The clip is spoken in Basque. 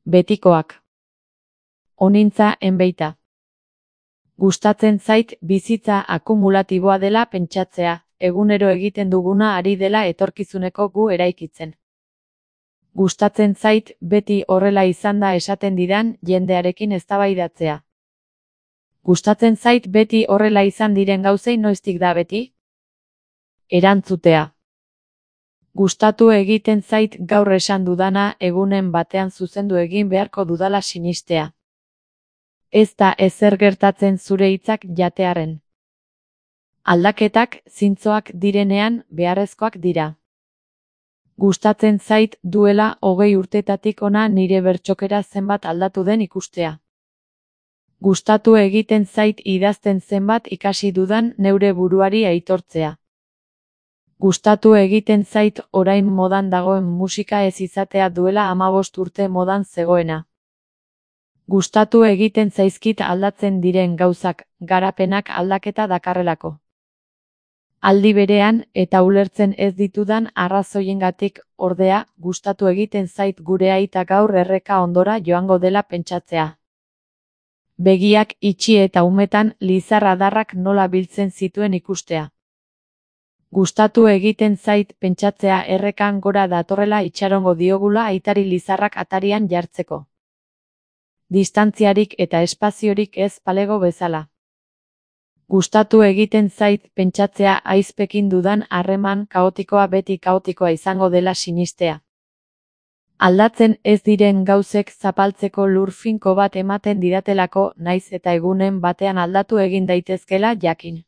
Betikoak. Onintza enbeita. Gustatzen zait bizitza akumulatiboa dela pentsatzea, egunero egiten duguna ari dela etorkizuneko gu eraikitzen. Gustatzen zait beti horrela izan da esaten didan jendearekin eztabaidatzea. Gustatzen zait beti horrela izan diren gauzei noiztik da beti? Erantzutea. Gustatu egiten zait gaur esan dudana egunen batean zuzendu egin beharko dudala sinistea. Ez da ezer gertatzen zure hitzak jatearren. Aldaketak zintzoak direnean beharrezkoak dira. Gustatzen zait duela 20 urtetatik hona nire bertsokera zenbat aldatu den ikustea. Gustatu egiten zait idazten zenbat ikasi dudan neure buruari aitortzea. Gustatu egiten zait orain modan dagoen musika ez izatea duela 15 urte modan zegoena. Gustatu egiten zaizkit aldatzen diren gauzak, garapenak aldaketa dakarrelako. Aldi berean eta ulertzen ez ditudan arrazoiengatik, ordea, gustatu egiten zait gure aita gaur erreka ondora joango dela pentsatzea. Begiak itxi eta umetan lizar adarrak nola biltzen zituen ikustea. Gustatu egiten zait pentsatzea errekan gora datorrela itxarongo diogula aitari lizarrak atarian jartzeko. Distantziarik eta espaziorik ez palego bezala. Gustatu egiten zait pentsatzea aizpekin dudan harreman kaotikoa beti kaotikoa izango dela sinistea. Aldatzen ez diren gauzek zapaltzeko lur finko bat ematen didatelako naiz eta egunen batean aldatu egin daitezkela jakin.